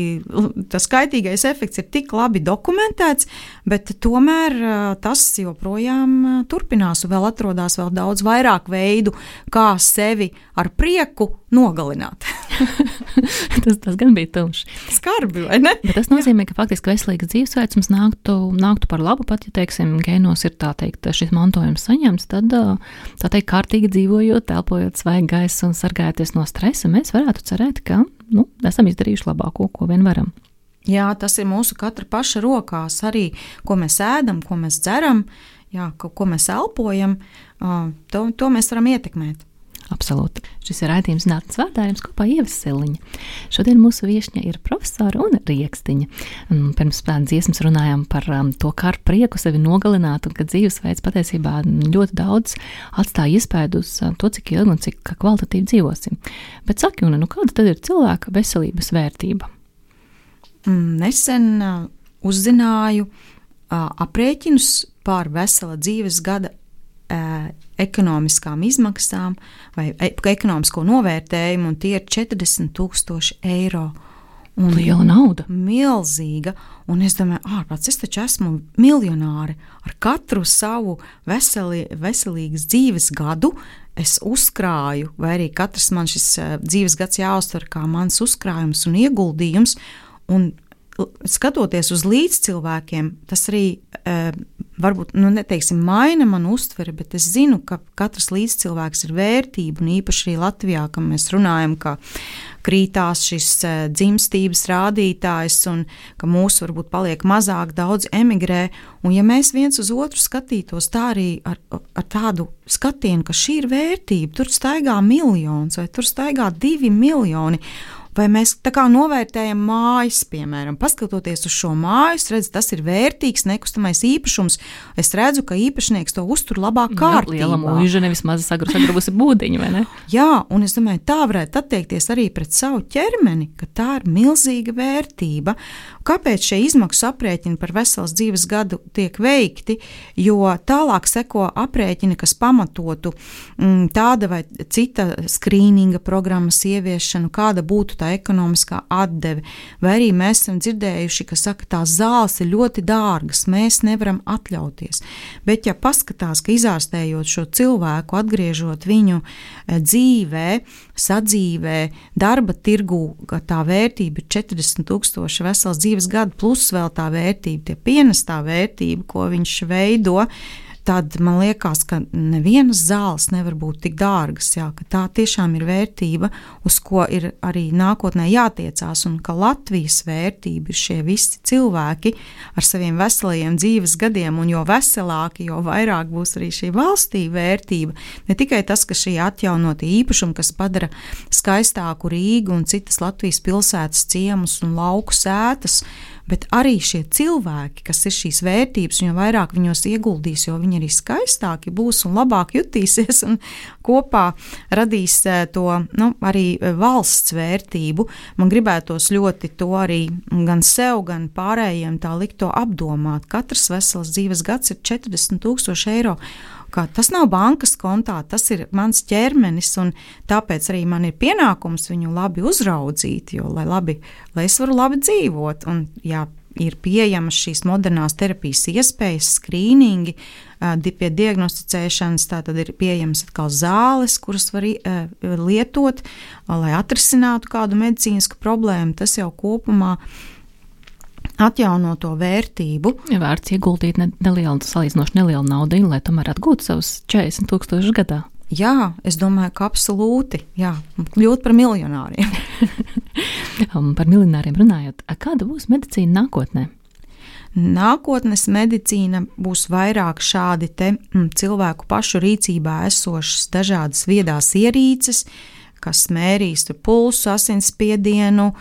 tas kaitīgais efekts ir tik labi dokumentēts, bet tomēr tas joprojām turpinās un vēl atrodas vēl daudz vairāk veidu, kā sevi ar prieku nogalināt. tas gan bija tumšs. Skarbi, vai ne? Bet tas nozīmē, ka faktiski veselīgs dzīvesveids mums nāktu par labu, pat, ja, teiksim, gēnos ir tā teikt, šis mantojums saņemts, tad, tā teikt, kārtīgi dzīvojot, telpojot svaigu gaisu un sargājoties no stresa, mēs varētu cerēt, ka, esam izdarījuši labāko, ko vien varam. Jā, tas ir mūsu katra paša rokās arī, ko mēs ēdam, ko mēs dzeram, jā, ko mēs elpojam, to mēs varam ietekmēt. Absolūti. Šis ir raidījums Zinātnes vārdā, jums kopā Ieva Siliņa. Šodien mūsu viešņa ir profesora un riekstiņa. Pirms dziesmas runājām par to, kā ar prieku sevi nogalināt, un ka dzīvesveids patiesībā ļoti daudz atstāja iespēju uz to, cik ilgi un cik kvalitatīvi dzīvosim. Bet saki, Una, kāda tad ir cilvēka veselības vērtība? Nesen uzzināju aprēķinus par vesela dzīves gada ekonomiskām izmaksām vai ekonomisko novērtējumu, un tie ir 40,000 eiro. Un liela nauda. Milzīga. Un es domāju, ārprāts, es taču esmu miljonāri. Ar katru savu veselīgas dzīves gadu es uzkrāju, vai arī katrs man šis dzīves gads jāuztver kā mans uzkrājums un ieguldījums, un skatoties uz līdzcilvēkiem, tas arī varbūt, neteiksim, maina manu uztveri, bet es zinu, ka katrs līdzcilvēks ir vērtība, un īpaši arī Latvijā, ka mēs runājam, ka krītās šis dzimstības rādītājs, un ka mūsu varbūt paliek mazāk, daudz emigrē, un ja mēs viens uz otru skatītos tā arī ar tādu skatienu, ka šī ir vērtība, tur staigā miljons, vai tur staigā 2 miljoni, vai mēs tā kā novērtējam mājas, piemēram, paskatoties uz šo māju, es redzu, tas ir vērtīgs nekustamais īpašums. Es redzu, ka īpašnieks to uztur labā kārtībā. Liela mūža, nevis maza sagrubusi būdiņa, vai ne? Jā, un es domāju, tā varētu attiekties arī pret savu ķermeni, ka tā ir milzīga vērtība. Kāpēc šie izmaksu aprēķini par veselas dzīves gadu tiek veikti? Jo tālāk seko aprēķini, kas pamatotu tāda vai cita skrīninga programmas ieviešanu, kāda būtu tā ekonomiskā atdeve, vai arī mēs esam dzirdējuši, ka saka, tās zāles ir ļoti dārgas, mēs nevaram atļauties. Bet ja paskatās, ka izārstējot šo cilvēku, atgriežot viņu dzīvē, sadzīvē, darba tirgū, ka tā vērtība ir 40,000 veselas dzīves gadu, plus vēl tā vērtība, tie pienestā vērtība, ko viņš veido, tad man liekas, ka nevienas zāles nevar būt tik dārgas, jā, ka tā tiešām ir vērtība, uz ko ir arī nākotnē jātiecās, un ka Latvijas vērtība ir šie visi cilvēki ar saviem veselajiem dzīves gadiem, un jo veselāki, jo vairāk būs arī šī valstī vērtība. Ne tikai tas, ka šī atjaunotie īpašumi, kas padara skaistāku Rīgu un citas Latvijas pilsētas ciemus un lauku sētas, bet arī šie cilvēki, kas ir šīs vērtības, un jo vairāk viņos ieguldīs, jo viņi arī skaistāki būs un labāk jutīsies un kopā radīs to arī valsts vērtību. Man gribētos ļoti to arī gan sev, gan pārējiem tā likt to apdomāt. Katrs veselas dzīves gads ir 40,000 eiro. Tas nav bankas kontā, tas ir mans ķermenis, un tāpēc arī man ir pienākums viņu labi uzraudzīt, jo, lai es varu labi dzīvot. Un, ja ir pieejamas šīs modernās terapijas iespējas, skrīningi, pie diagnosticēšanas, tā tad ir pieejamas atkal zāles, kuras var lietot, lai atrisinātu kādu medicīnisku problēmu, tas jau kopumā atjauno to vērtību. Ja vērts ieguldīt salīdzinoši nelielu naudu, lai tomēr atgūtu savus 40,000 gadā. Jā, es domāju, ka absolūti, jā, kļūt par miljonāriem. Par miljonāriem runājot, kāda būs medicīna nākotnē? Nākotnes medicīna būs vairāk šādi te cilvēku pašu rīcībā esošas dažādas viedās ierīces, kas mērīs pulsu, asinsspiedienu,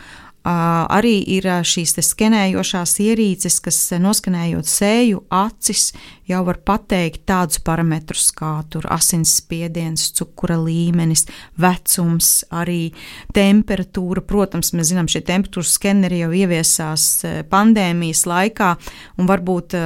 Arī ir šīs skenējošās ierīces, kas noskenējot seju, acis, jau var pateikt tādus parametrus kā asinsspiediens, cukura līmenis, vecums, arī temperatūra. Protams, mēs zinām, šie temperatūras skeneri jau ieviesās pandēmijas laikā, un varbūt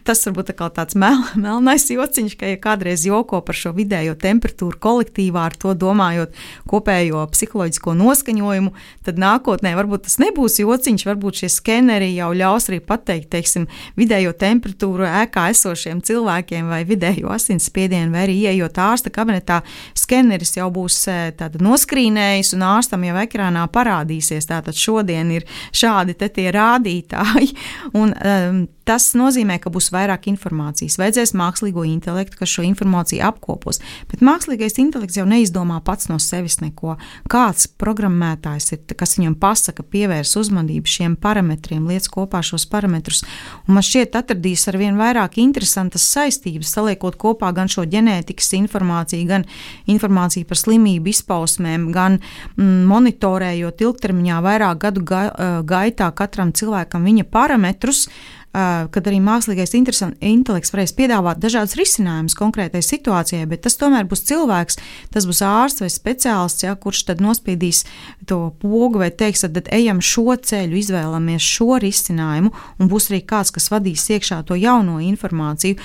tas varbūt tāds melnais jociņš, ka ja kādreiz joko par šo vidējo temperatūru kolektīvā, ar to domājot kopējo psiholoģisko noskaņojumu, tad nākotnē varbūt tas nebūs jociņš, varbūt šie skeneri jau ļaus arī pateikt, teiksim, vidējo temperatūru ēkā esošiem cilvēkiem vai vidējo asinsspiedienu, vai arī ieejot ārsta kabinetā, skeneris jau būs tātad noskrīnējis un ārstam jau ekrānā parādīsies. Tātad šodien ir šādi tie rādītāji, un tas nozīmē, ka būs vairāk informācijas. Vajadzēs mākslīgo intelektu, kas šo informāciju apkopos. Bet mākslīgais intelekts jau neizdomā pats no sevis neko. Kāds programmētājs ir, kas viņam pasaka, pievērs uzmanību šiem parametriem, liec kopā šos parametrus. Un man šķiet atradīs arvien vairāk interesantas saistības, saliekot kopā gan šo ģenētikas informāciju, gan informāciju par slimību izpausmēm, gan monitorējot ilgtermiņā vairāk gadu gaitā katram cilvēkam viņa parametrus, kad arī mākslīgais intelekts varēs piedāvāt dažādas risinājumus konkrētai situācijai, bet tas tomēr būs cilvēks, tas būs ārsts vai speciālists, kurš tad nospiedīs to pogu vai teiks, tad ejam šo ceļu, izvēlamies šo risinājumu, un būs arī kāds, kas vadīs iekšā to jauno informāciju.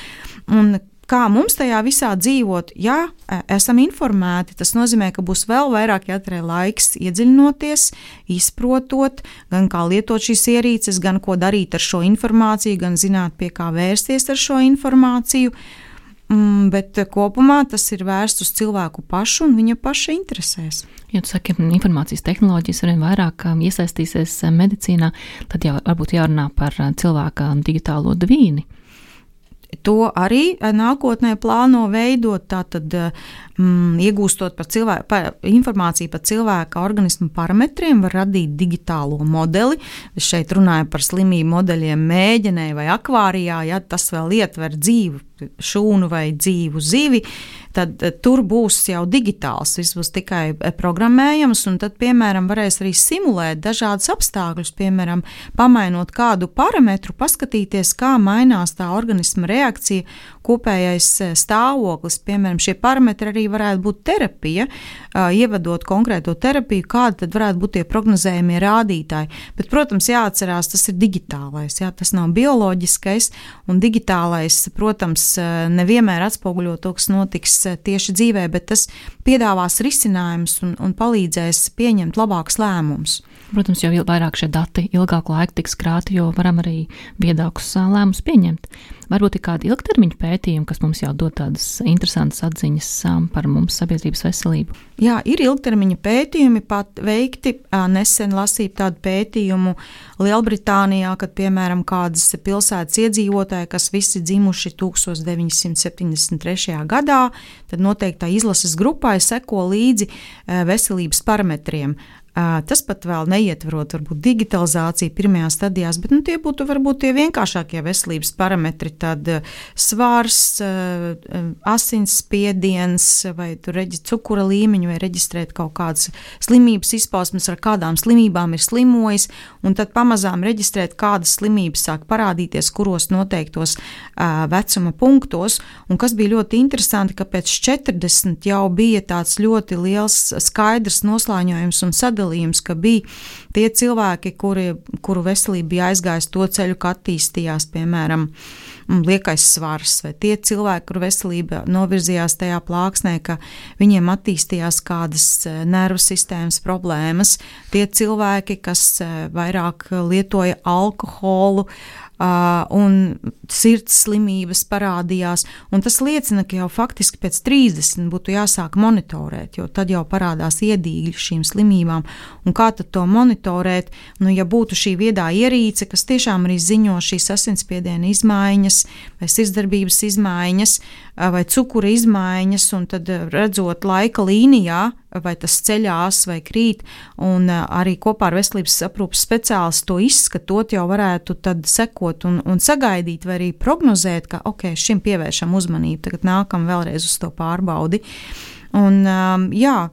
Un kā mums tajā visā dzīvot, ja esam informēti, tas nozīmē, ka būs vēl vairāk jātērē laiks iedziļinoties, izprotot, gan kā lietot šīs ierīces, gan ko darīt ar šo informāciju, gan zināt, pie kā vērsties ar šo informāciju. Bet kopumā tas ir vērsts uz cilvēku pašu un viņa paša interesēs. Ja tu saki, informācijas tehnoloģijas arvien vairāk iesaistīsies medicīnā, tad jau varbūt jārunā par cilvēka digitālo dvīni. To arī nākotnē plāno veidot, tātad iegūstot informāciju par cilvēka organismu parametriem, var radīt digitālo modeli. Es šeit runāju par slimību modeļiem mēģenē vai akvārijā, ja tas vēl ietver dzīvu šūnu vai dzīvu zivi, tad tur būs jau digitāls, viss būs tikai programmējams, un tad, piemēram, varēs arī simulēt dažādas apstākļus, piemēram, pamainot kādu parametru, paskatīties, kā mainās tā organisma reakcija, kopējais stāvoklis, piemēram, šie parametri arī varētu būt terapija, ievedot konkrēto terapiju, kādi tad varētu būt tie prognozējumie rādītāji. Bet, protams, jāatcerās, tas ir digitālais, tas nav bioloģiskais, un digitālais, protams, nevienmēr atspoguļo to, kas notiks tieši dzīvē, bet tas piedāvās risinājumus un palīdzēs pieņemt labākus lēmumus. Protams, jo vairāk šie dati ilgāku laiku tiks krāti, jo varam arī viedākus lēmumus pieņemt. Varbūt ir kādi ilgtermiņa pētījumi, kas mums jau dod tādas interesantas atziņas par mums sabiedrības veselību. Jā, ir ilgtermiņa pētījumi pat veikti. Nesen lasīju tādu pētījumu Lielbritānijā, kad, piemēram, kādas pilsētas iedzīvotāji, kas visi dzimuši 1973. gadā, tad noteiktā izlases grupai seko līdzi veselības parametriem. Tas pat vēl neietverot varbūt digitalizāciju pirmajās stadijās, bet tie būtu varbūt tie vienkāršākie veselības parametri, tad svars, asinsspiediens vai cukura līmeņu vai reģistrēt kaut kādas slimības izpausmes, ar kādām slimībām ir slimojis, un tad pamazām reģistrēt, kādas slimības sāk parādīties, kuros noteiktos vecuma punktos, un kas bija ļoti interesanti, ka pēc 40 jau bija tāds ļoti liels skaidrs noslāņojums un sadalījums, ka bija tie cilvēki, kuru veselība bija aizgājis to ceļu, ka attīstījās, piemēram, liekais svars, vai tie cilvēki, kuru veselība novirzījās tajā plāksnē, ka viņiem attīstījās kādas nervu sistēmas problēmas, tie cilvēki, kas vairāk lietoja alkoholu, un sirds slimības parādījās, un tas liecina, ka jau faktiski pēc 30 būtu jāsāk monitorēt, jo tad jau parādās iedīgļi šīm slimībām, un kā tad to monitorēt, ja būtu šī viedā ierīce, kas tiešām arī ziņo šīs asinsspiediena izmaiņas, vai sirdsdarbības izmaiņas, vai cukura izmaiņas, un tad redzot laika līnijā, vai tas ceļās vai krīt, un arī kopā ar veselības aprūpes speciālistu to izskatot, jau varētu tad sekot un sagaidīt, vai arī prognozēt, ka šim pievēršam uzmanību, tagad nākam vēlreiz uz to pārbaudi. Un,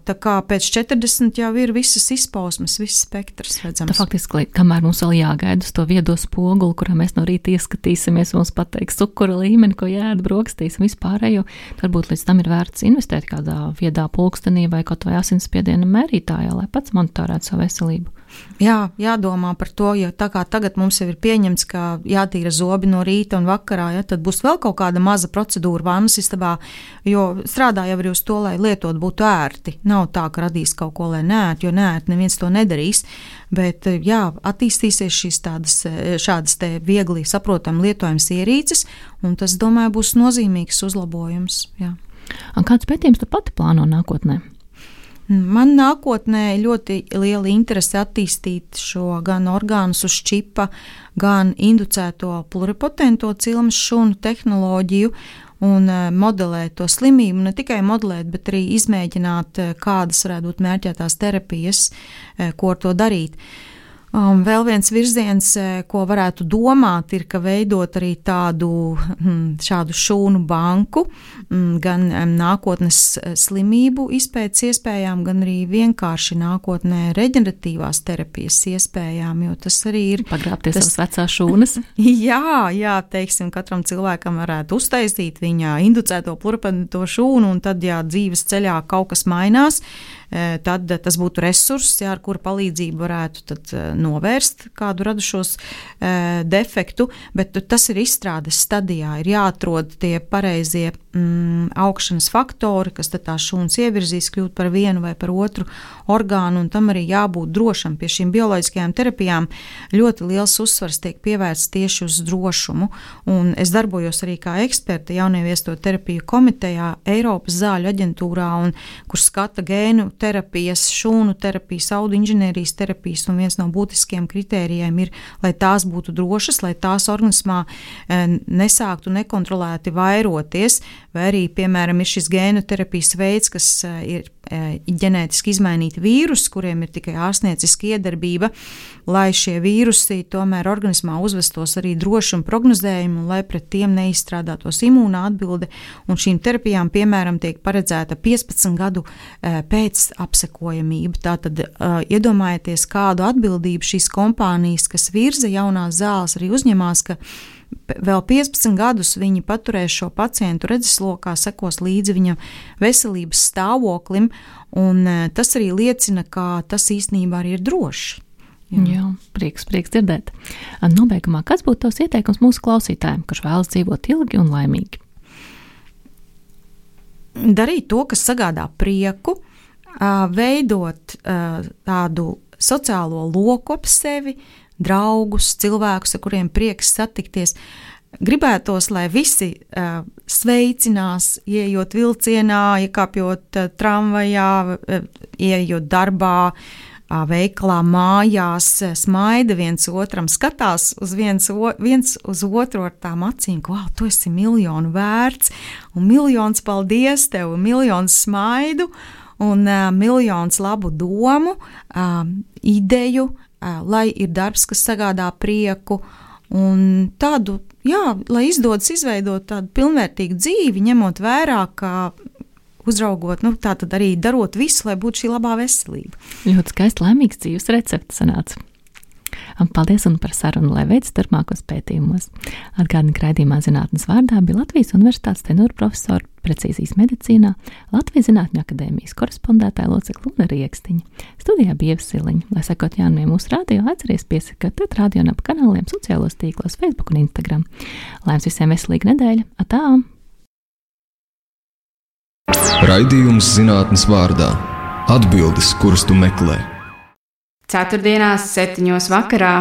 tā kā pēc 40 jau ir visas izpausmes, viss spektrs redzams. Tā faktiski, kamēr mums vēl jāgaida uz to viedo spoguli, kurā mēs no rīta ieskatīsimies, mums pateiks cukura līmeni, ko jāēd brokastīs un vispārējo, varbūt līdz tam ir vērts investēt kādā viedā pulkstenī vai kaut vai asinsspiediena mērītājā, lai pats monitorētu savu veselību. Jā, jādomā par to, jo tā kā tagad mums jau ir pieņemts, ka jātīra zobi no rīta un vakarā, ja, tad būs vēl kaut kāda maza procedūra vannas istabā, jo strādā jau arī uz to, lai lietot būtu ērti. Nav tā, ka radīs kaut ko, lai neērti, jo neērti neviens to nedarīs, bet jā, attīstīsies šādas te viegli saprotam lietojams ierīces, un tas, domāju, būs nozīmīgs uzlabojums. Jā. Un kāds pētījums tu pati plāno nākotnē? Man nākotnē ļoti liela interese attīstīt šo gan orgānus uz čipa, gan inducēto pluripotento cilmes šūnu tehnoloģiju un modelēt to slimību, ne tikai modelēt, bet arī izmēģināt, kādas varētu būt mērķētās terapijas, ko ar to darīt. Vēl viens virziens, ko varētu domāt, ir, ka veidot arī šādu šūnu banku, gan nākotnes slimību izpētes iespējām, gan arī vienkārši nākotnē reģeneratīvās terapijas iespējām, jo tas arī ir... Pagrābties savas vecās šūnas? Jā, teiksim, katram cilvēkam varētu uztaisīt viņa inducēto pluripotento šūnu, un tad, ja dzīves ceļā kaut kas mainās, tad tas būtu resurss, ar kura palīdzību varētu tad novērst kādu radušos defektu, bet tas ir izstrādes stadijā. Ir jāatrod tie pareizie augšanas faktori, kas tad tās šūnas ievirzīs kļūt par vienu vai par otru orgānu, un tam arī jābūt drošam. Pie šīm bioloģiskajām terapijām ļoti liels uzsvars tiek pievērsts tieši uz drošumu, un es darbojos arī kā eksperte jaunieviesto terapiju komitejā Eiropas zāļu aģentūrā, un kur skata gēnu terapijas, šūnu terapijas, audu inženierijas terapijas, un viens no būtiskiem kritērijiem ir, lai tās būtu drošas, lai tās organismā nesāktu nekontrolēti vairoties, vai arī, piemēram, ir šis gēnu terapijas veids, kas ir ģenētiski izmainīti vīrusi, kuriem ir tikai ārstnieciska iedarbība, lai šie vīrusi tomēr organismā uzvestos arī droši un prognozējumi, un lai pret tiem neizstrādātos imūna atbilde, un šīm terapijām, piemēram, tiek paredzēta 15 gadu pēc apsekojamība. Tātad iedomājieties, kādu atbildību šīs kompānijas, kas virza jaunās zāles, arī uzņemās, ka vēl 15 gadus viņi paturēs šo pacientu redzeslokā, sekos līdzi viņa veselības stāvoklim, un tas arī liecina, ka tas īstenībā arī ir droši. Jā, prieks dzirdēt. Nobeigumā, kāds būtu tavs ieteikums mūsu klausītājiem, kurš vēlas dzīvot ilgi un laimīgi? Darīt to, kas sagādā prieku, veidot tādu sociālo loku ap sevi, draugus, cilvēkus, ar kuriem prieks satikties. Gribētos, lai visi sveicinās, ieejot vilcienā, iekāpjot tramvajā, ieejot darbā, veikalā, mājās, smaida viens otram, skatās uz viens uz otru ar tām acīm, ka tu esi miljonu vērts, un miljons paldies tev, un miljons smaidu, un miljons labu domu, ideju, lai ir darbs, kas sagādā prieku, un tādu, lai izdodas izveidot tādu pilnvērtīgu dzīvi, ņemot vērā, ka uzraugot, tātad arī darot visu, lai būtu šī labā veselība. Ļoti skaisti, laimīgs dzīves recepts sanāca. Paldies un par sarunu, lai veids turpmākos pētījumos. Atgādini, ka raidījumā Zinātnes vārdā bija Latvijas Universitātes tenora profesora precīzijas medicīnā, Latvijas Zinātņu akadēmijas korespondētāja locekle Luna Riekstiņa. Studijā bija Ieva Siliņa. Lai sekot jaunumiem mūsu radio, atceries piesakot radio un ap kanāliem sociālos tīklos Facebook un Instagram. Lai jums visiem veselīga nedēļa. Atā! Raidījums Zinātnes vārdā. Atbildes, kuras tu meklē. Ceturtdienās 7:00 vakarā